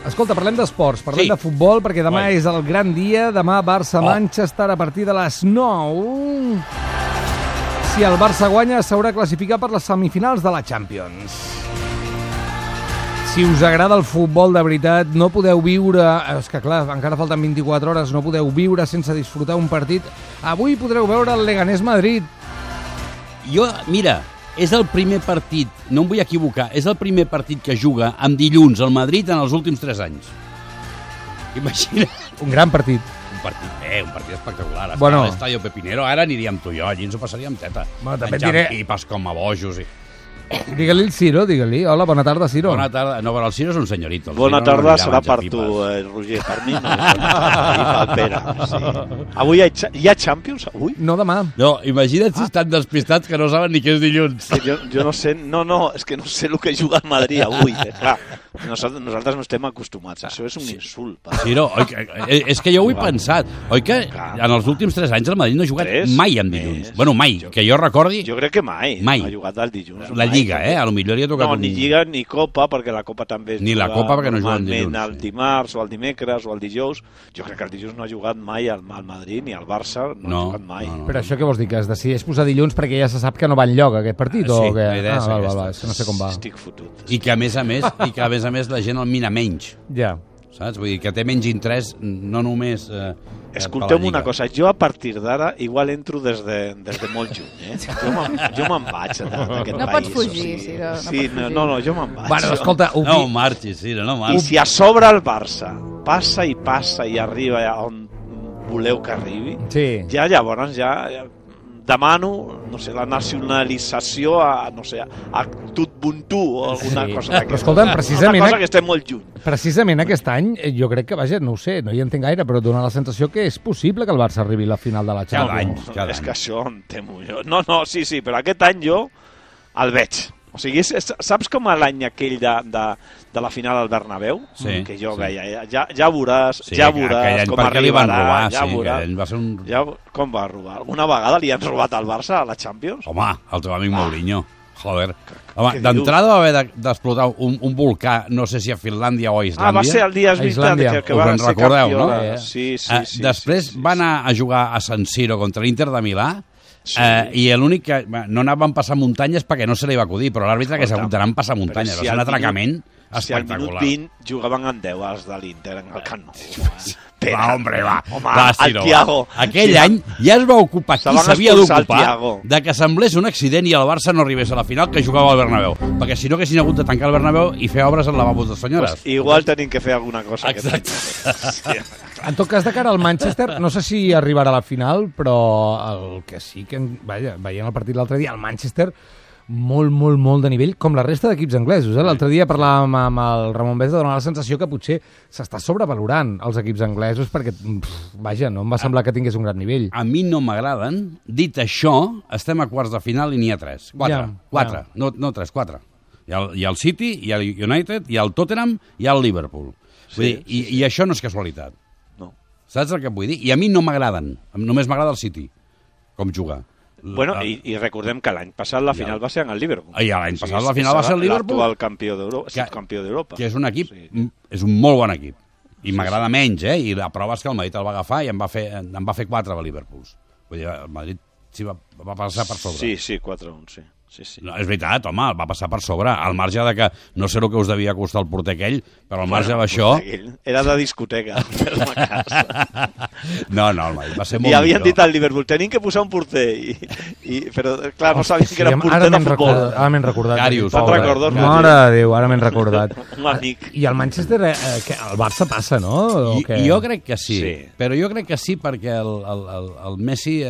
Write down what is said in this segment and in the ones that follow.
Escolta, parlem d'esports, parlem de futbol, perquè demà és el gran dia. Demà Barça-Manchester a partir de les 9. Si el Barça guanya, s'haurà classificat per les semifinals de la Champions. Si us agrada el futbol de veritat, no podeu viure... És que clar, encara falten 24 hores, no podeu viure sense disfrutar un partit. Avui podreu veure el Leganés-Madrid. Jo, mira, és el primer partit, no em vull equivocar, és el primer partit que juga amb dilluns al Madrid en els últims 3 anys. Imagina. Un gran partit. Un partit espectacular. Bueno. A l'Estadio Pepinero, ara aniríem tu i jo, allí ens ho passaríem teta. Bueno, també menjant diré... pipes com a bojos i... Digue-li el Ciro, digue-li. Hola, bona tarda, Ciro. Bona tarda. No, però el Ciro és un senyorito. Bona tarda serà per tu, Roger. Per mi no. I pel Pere. Sí. Avui hi ha Champions? Avui? No, demà. No, imagina't si estan despistats que no saben ni què és dilluns. Jo no sé, és que no sé el que juga el Madrid avui. Clar, nosaltres no estem acostumats. Això és un insult. Ciro, és que jo ho he pensat. Oi que en els últims 3 anys el Madrid no ha jugat mai en dilluns? Bueno, mai, que jo recordi... Jo crec que mai. Mai. Ha jugat el dilluns. La Lliga, a lo millor li ha tocat... No, ni Lliga ni Copa, perquè la Copa també es ni la Copa perquè no juguen dilluns. El dimarts o el dimecres o el dijous. Jo crec que el dijous no ha jugat mai al Madrid ni al Barça, no ha jugat mai. No. Però això què vols dir, que es decideix posar dilluns perquè ja se sap que no va enlloc aquest partit? Sí, o què? La idea és aquesta. És que no sé com va. Estic fotut. I que a més a més la gent el mina menys. Ja. Saps? Vull dir que té menys interès no només... Escolteu una cosa, jo a partir d'ara igual entro des de molt juny, Jo me'n vaig d'aquest país. No pots fugir, Ciro. Sí, no, jo me'n vaig. Bueno, escolta... No marxis, Ciro, no marxis. I si a sobre el Barça passa i arriba on voleu que arribi, ja llavors demano, no sé, la nacionalització a Tutbuntu o alguna cosa d'aquesta. Escolta'm, precisament... Una cosa que estem molt lluny. Precisament aquest any, jo crec que, vaja, no ho sé, no hi entenc gaire, però dona la sensació que és possible que el Barça arribi a la final de la Champions. Cada any. És que això em temo jo. No, sí, però aquest any jo el veig. O sigui, saps com l'any aquell de la final al Bernabéu? Sí, que jo veia, ja veuràs com arribarà, ja veuràs. Com va robar? Alguna vegada li han robat al Barça a la Champions? Home, el teu amic Mourinho. Joder. Home, d'entrada va haver d'explotar un volcà, no sé si a Finlàndia o a Islàndia. Va ser el dia que va ser campió. No? Sí. Després va anar a jugar a San Siro contra l'Inter de Milà. I l'únic que no anaven passar muntanyes perquè no se li va acudir, però l'àrbitre que s'ha hagut d'anar a passar muntanyes, va ser un atracament espectacular. Si al minut 20 jugaven en 10 els de l'Inter en el Camp Nou. Va, hombre, va. El Thiago. Aquell any ja es va ocupar qui s'havia d'ocupar de que semblés un accident i el Barça no arribés a la final que jugava al Bernabéu, perquè si no haguessin hagut de tancar el Bernabéu i fer obres al lavabos de senyores. Igual tenim que fer alguna cosa. Exacte. En tot cas, de cara al Manchester, no sé si arribarà a la final, però el que sí que, vaja, veient el partit l'altre dia, el Manchester, molt de nivell, com la resta d'equips anglesos. L'altre dia parlàvem amb el Ramon Besa, donava la sensació que potser s'està sobrevalorant els equips anglesos perquè, vaja, no em va semblar que tingués un gran nivell. A mi no m'agraden. Dit això, estem a quarts de final i n'hi ha 3. 4. No 3, 4. Hi ha el City, hi ha el United, hi ha el Tottenham, hi ha el Liverpool. I això no és casualitat. Saps el que vull dir? I a mi no m'agraden. Només m'agrada el City, com juga. Bueno, i recordem que l'any passat la final va ser en el Liverpool. L'any passat la final va ser el Liverpool. L'actual campió d'Europa. Que és un equip, és un molt bon equip. I m'agrada menys, I la prova és que el Madrid el va agafar i en va fer 4 a Liverpool. Vull dir, el Madrid va passar per sobre. Sí, 4-1, sí. No, és veritat, home, el va passar per sobre, al marge de que no sé el que us devia costar el porter aquell, però al marge d'això... Era de discoteca, per la casa. No, el Madrid va ser molt millor. I havien dit al Liverpool, tenim que posar un porter, però clar, no sabien que era un porter de futbol. Ara m'he recordat. Carius. Mare de Déu, ara m'he recordat. Un amic. I el Manchester, el Barça passa, no? Jo crec que sí, però jo crec que sí perquè el Messi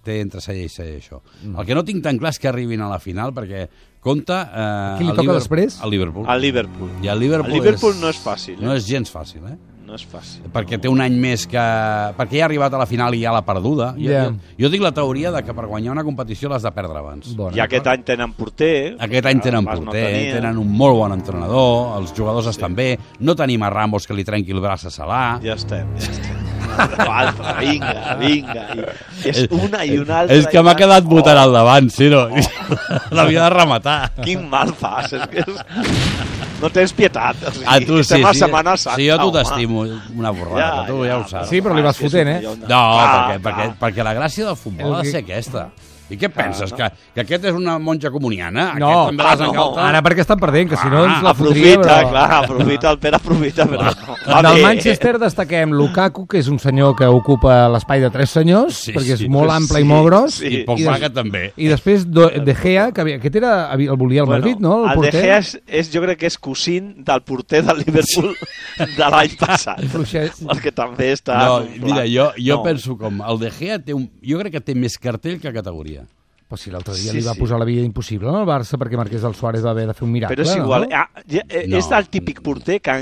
té entre cella i cella això. El que no tinc tan clar és que arribin a la final, perquè compta... Qui li toca després? Al Liverpool. Al Liverpool. I el Liverpool no és fàcil. No és gens fàcil, No és fàcil. Perquè té un any més que... Perquè ja ha arribat a la final i ja l'ha perduda. Jo tinc la teoria de que per guanyar una competició l'has de perdre abans. I aquest any tenen porter. Tenen un molt bon entrenador, els jugadors estan bé, no tenim a Ramos que li trenqui el braç a Salah. Ja estem. Altra, vinga. És una i una altra. És que m'ha quedat votant al davant, Ciro. L'havia de rematar. Quin mal fas, és que és... no tens pietat. O sigui, tu sí, a Setmana Santa. Sí, jo tu t'estimo una borrada, tu ja ho saps. Sí, però li vas fotent, No, perquè la gràcia del futbol ha de ser aquesta. I què penses? Que aquest és una monja comuniana? No, ara perquè estan perdent, que si no ens la fotria. Aprofita, el Pere aprofita. Del Manchester destaquem Lukaku, que és un senyor que ocupa l'espai de 3 senyors, perquè és molt ample i molt gros. I Pogba també. I després De Gea, que aquest el volia el Madrid, no? El De Gea jo crec que és cosín del porter del Liverpool de l'any passat. Perquè també està... Mira, jo penso com el De Gea jo crec que té més cartell que categoria. Però si l'altre dia li va posar la vida impossible al Barça perquè Marquès del Suárez va haver de fer un miracle. Però és igual, és del típic porter que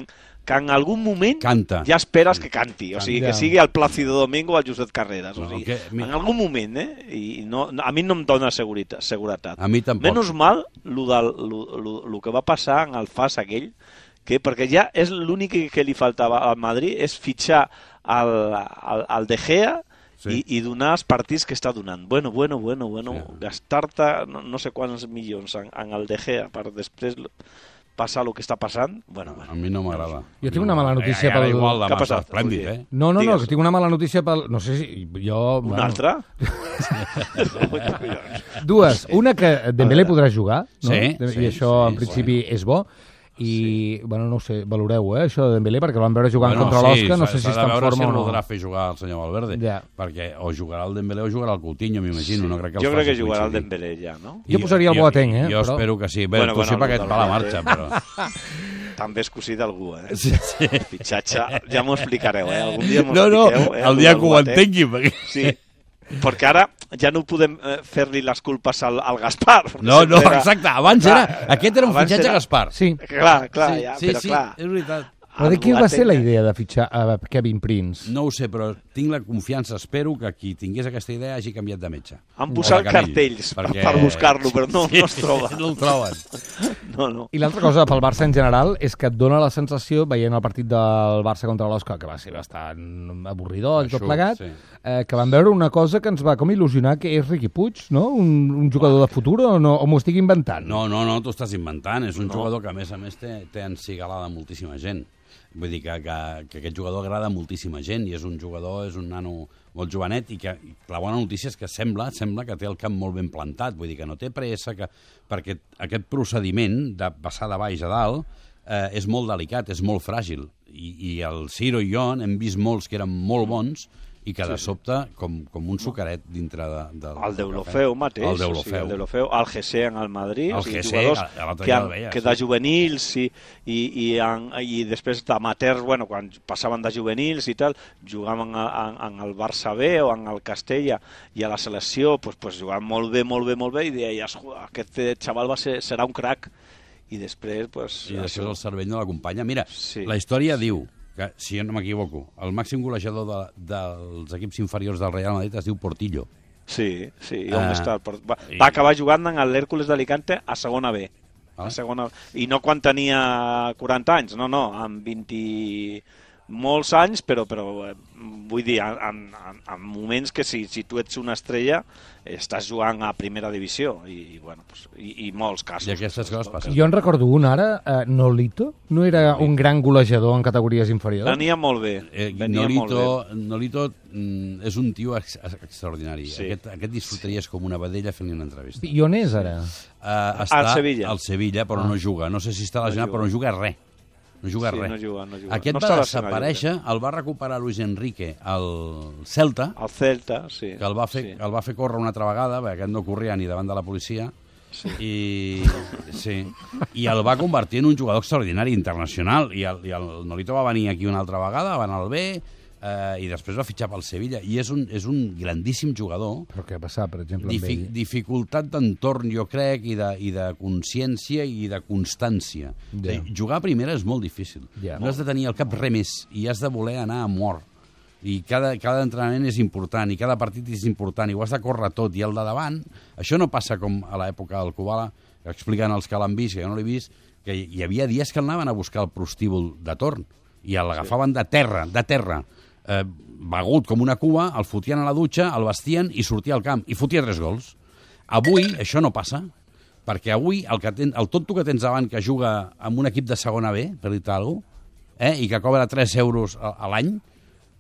en algun moment ja esperes que canti, o sigui, que sigui el Plácido Domingo o el Josep Carreras, o sigui, en algun moment, i a mi no em dona seguretat. A mi tampoc. Menys mal el que va passar en el FAS aquell, perquè ja és l'únic que li faltava al Madrid és fitxar el De Gea i donar els partits que està donant. Bueno, gastar-te no sé quants milions en el De Gea per després passar el que està passant. A mi no m'agrada. Jo tinc una mala notícia pel... Què ha passat? Esplèndid, eh? No, que tinc una mala notícia pel... No sé si jo... Una altra? Dues. Una que Dembélé podrà jugar, no? Sí. I això en principi és bo. I, bueno, no ho sé, valoreu, això de Dembélé, perquè el van veure jugant contra l'Osca, no sé si està en forma o no. Si podrà fer jugar el senyor Valverde, perquè o jugarà el Dembélé o jugarà el Coutinho, m'imagino. Jo crec que jugarà el Dembélé ja, no? Jo posaria el Boateng, Jo espero que sí. Bé, tu sí perquè et va la marxa, però... També és cosí d'algú, Sí. Fitxatge, ja m'ho explicareu, Algun dia m'ho expliqueu. El dia que ho entengui. Sí. Perquè ara ja no podem fer-li les culpes al Gaspar. No, exacte, abans era... Aquest era un fitxatge Gaspar. Sí. Clar, però clar. És veritat. Però de qui va ser la idea de fitxar a Kevin Prince? No ho sé, però tinc la confiança, espero que qui tingués aquesta idea hagi canviat de metge. Han posat cartells per buscar-lo, però no es troba. No el troben. No. I l'altra cosa pel Barça en general és que et dona la sensació, veient el partit del Barça contra l'Osca, que va ser bastant avorridor i tot plegat, que vam veure una cosa que ens va com il·lusionar, que és Riqui Puig, no? Un jugador de futur o m'ho estic inventant? No, t'ho estàs inventant. És un jugador que, a més, té encigalada moltíssima gent. Vull dir que aquest jugador agrada a moltíssima gent i és un nano molt jovenet i que la bona notícia és que sembla que té el camp molt ben plantat, vull dir que no té pressa, perquè aquest procediment de passar de baix a dalt és molt delicat, és molt fràgil i el Ciro i jo hem vist molts que eren molt bons i que de sobte, com un sucaret dintre del... El Deulofeu mateix, el Deulofeu, el Gessé en el Madrid, jugadors que de juvenils i després d'amateurs, quan passaven de juvenils i tal, jugaven en el Barça B o en el Castella i a la selecció jugaven molt bé i deies, aquest xaval serà un crac. I després... I després el cervell no l'acompanya. Mira, la història diu que, si jo no m'equivoco, el màxim golejador dels equips inferiors del Real Madrid es diu Portillo. Sí, on està? Va acabar jugant en l'Hèrcules d'Alicante a segona B. I no quan tenia 40 anys, no, amb 20... molts anys, però vull dir, en moments que si tu ets una estrella estàs jugant a primera divisió i molts casos. I aquestes coses passen. Jo en recordo un ara, Nolito, no era un gran golejador en categories inferiors? Venia molt bé. Nolito és un tio extraordinari. Aquest disfrutaries com una vedella fent-li una entrevista. I on és ara? Està al Sevilla, però no juga. No sé si està lesionat, però no juga res. No juga res. No juga. Aquest va desaparèixer, el va recuperar Luis Enrique al Celta. Al Celta, sí. Que el va fer córrer una altra vegada, perquè aquest no corria ni davant de la policia, i el va convertir en un jugador extraordinari, internacional, i el Nolito va venir aquí una altra vegada, va anar al B, i després va fitxar pel Sevilla, i és un grandíssim jugador. Però què ha passat, per exemple, amb ell? Dificultat d'entorn, jo crec, i de consciència i de constància. Jugar a primera és molt difícil. No has de tenir el cap res més, i has de voler anar a mort. I cada entrenament és important, i cada partit és important, i ho has de córrer tot, i el de davant, això no passa com a l'època del Kubala, que expliquen els que l'han vist, que jo no l'he vist, que hi havia dies que el anaven a buscar el prostíbul de torn, i l'agafaven de terra, begut com una cua, el fotien a la dutxa, el vestien i sortia al camp, i fotia 3 gols. Avui això no passa, perquè avui el tonto que tens davant que juga en un equip de segona B, per dir-te alguna cosa, i que cobra 3 euros a l'any,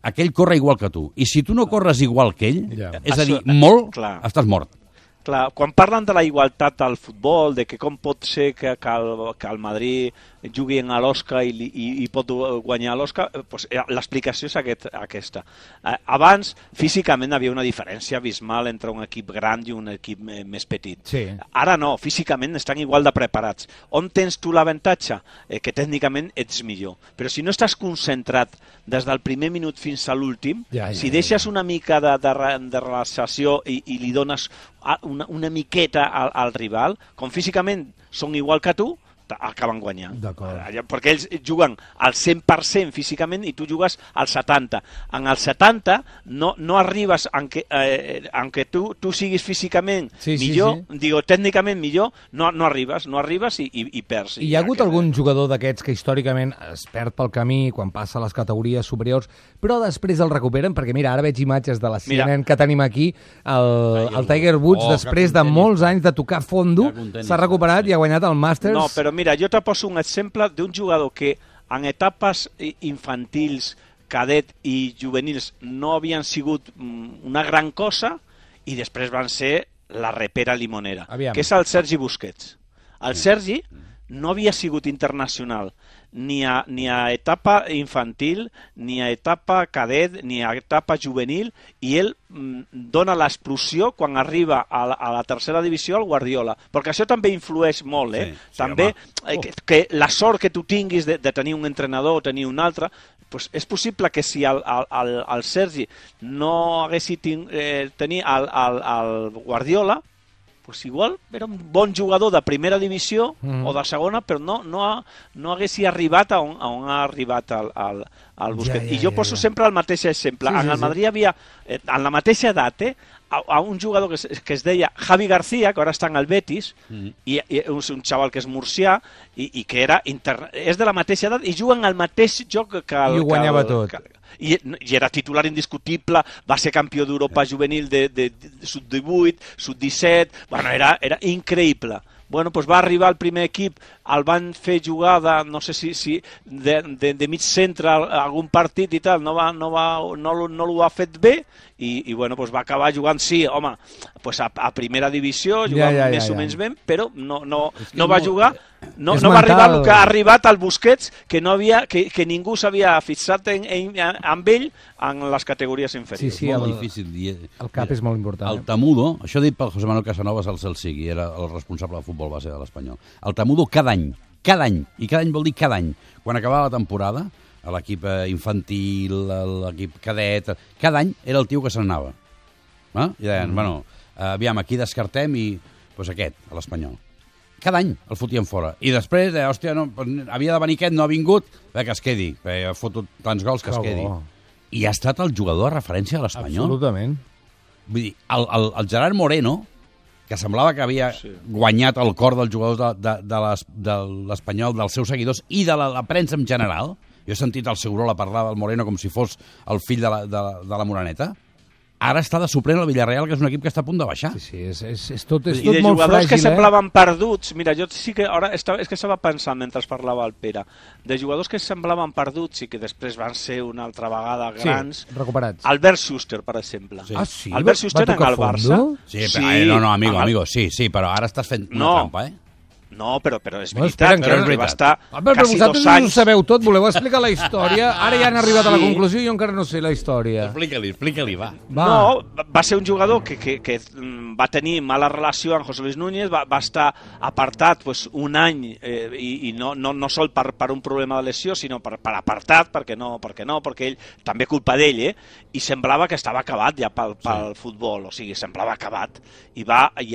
aquell corre igual que tu. I si tu no corres igual que ell, és a dir, molt, estàs mort. Clar, quan parlen de la igualtat al futbol, de que com pot ser que el Madrid jugui a l'Oscar i pot guanyar l'Oscar, doncs l'explicació és aquesta. Abans, físicament, havia una diferència abismal entre un equip gran i un equip més petit. Sí. Ara no, físicament estan igual de preparats. On tens tu l'avantatge? Que tècnicament ets millor. Però si no estàs concentrat des del primer minut fins a l'últim, si deixes una mica de relaxació i li dones una miqueta al rival, com físicament són igual que tu, acaben guanyant. Perquè ells juguen al 100% físicament i tu jugues al 70%. En el 70% no arribes, aunque tu siguis físicament millor, digo, tècnicament millor, no arribes i perds. I hi ha hagut algun jugador d'aquests que històricament es perd pel camí quan passa a les categories superiors, però després el recuperen? Perquè mira, ara veig imatges de la CNN que tenim aquí, el Tiger Woods, després de molts anys de tocar fondo, s'ha recuperat i ha guanyat el Masters. No, però mira, jo te poso un exemple d'un jugador que en etapes infantils, cadet i juvenils no havien sigut una gran cosa i després van ser la repera limonera, que és el Sergi Busquets. El Sergi no havia sigut internacional ni a etapa infantil, ni a etapa cadet, ni a etapa juvenil, i ell dona l'explosió quan arriba a la tercera divisió al Guardiola, perquè això també influeix molt, també que la sort que tu tinguis de tenir un entrenador o tenir un altre, pues és possible que si el Sergi no hagués tenir el Guardiola, pues igual era un bon jugador de primera divisió o de segona, però no hagués arribat a on ha arribat el Busquets. I jo poso sempre el mateix exemple. En el Madrid havia, en la mateixa edat, a un jugador que es deia Javi García, que ara està en el Betis, i és un xaval que és murcià i que és de la mateixa edat i juga en el mateix joc que i ho guanyava tot. I era titular indiscutible, va ser campió d'Europa juvenil de sub-18, sub-17, bueno, era increïble. Bueno, doncs va arribar al primer equip, el van fer jugar no sé si de mig centre algun partit i tal, no l'ho ha fet bé i bueno, doncs va acabar jugant, sí, home, doncs a primera divisió, jugant més o menys bé, però no va jugar, no va arribar el que ha arribat al Busquets, que ningú s'havia fixat amb ell en les categories inferiors. Sí, el cap és molt important. El Tamudo, això dit pel José Manuel Casanovas al Celsiqui, era el responsable de futbol base de l'Espanyol. El Tamudo cada any, i cada any vol dir cada any, quan acabava la temporada, a l'equip infantil, a l'equip cadet, cada any era el tio que se n'anava. I deien, bueno, aviam, aquí descartem i doncs aquest, a l'Espanyol. Cada any el fotien fora. I després, hòstia, havia de venir aquest, no ha vingut, que es quedi, ha fotut tants gols que es quedi. I ha estat el jugador de referència a l'Espanyol. Absolutament. Vull dir, el Gerard Moreno, que semblava que havia guanyat el cor dels jugadors de l'Espanyol, dels seus seguidors i de la premsa en general. Jo he sentit el Segurola parlar del Moreno com si fos el fill de la Moreneta. Ara està de suplent al Villarreal, que és un equip que està a punt de baixar. Sí, és tot molt fràgil. I de jugadors que semblaven perduts, mira, jo sí que ara és que estava pensant mentre parlava el Pere, de jugadors que semblaven perduts i que després van ser una altra vegada grans. Sí, recuperats. Albert Schuster, per exemple. Ah, sí? Albert Schuster en el Barça. Sí, però, no, amigo, sí, però ara estàs fent una trampa, No, però és veritat, que va estar quasi 2 anys. Vosaltres ho sabeu tot, voleu explicar la història? Ara ja han arribat a la conclusió i jo encara no sé la història. Explica-li, va. No, va ser un jugador que va tenir mala relació amb José Luis Núñez, va estar apartat un any, i no sol per un problema de lesió, sinó per apartat, perquè ell, també culpa d'ell, i semblava que estava acabat ja pel futbol, o sigui, semblava acabat. I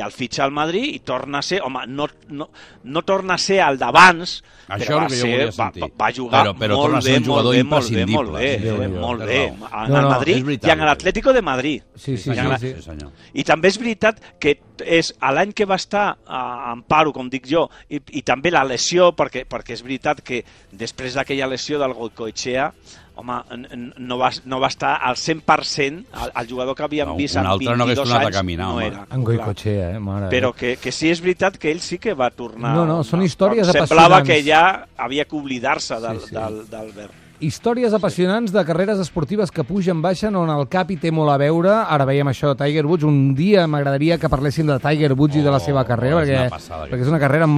el fitxa al Madrid i torna a ser, home, no torna a ser el d'abans, però va jugar molt bé en el Madrid i en l'Atlético de Madrid. Sí. I també és veritat que és l'any que va estar en paro, com dic jo, i també la lesió, perquè és veritat que després d'aquella lesió del Goicoechea, home, no va estar al 100%, el jugador que havíem vist en 22 anys no era. En Goicoechea, mare. Però que sí és veritat que ell sí que va tornar. No, són històries apassionants. Semblava que ja havia que oblidar-se d'Albert. Històries apassionants de carreres esportives que pugen, baixen, on el cap hi té molt a veure. Ara veiem això de Tiger Woods. Un dia m'agradaria que parléssim de Tiger Woods i de la seva carrera, perquè és una carrera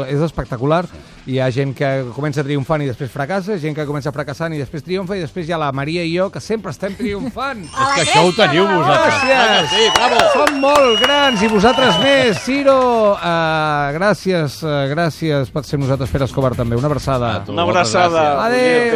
és espectacular. Hi ha gent que comença triomfant i després fracassa, gent que comença fracassant i després triomfa, i després hi ha la Maria i jo, que sempre estem triomfant. És que això ho teniu vosaltres. Gràcies. Sí, bravo. Som molt grans i vosaltres més. Ciro, gràcies per ser nosaltres. Pere Escobar també. Una abraçada. Una abraçada. Adéu.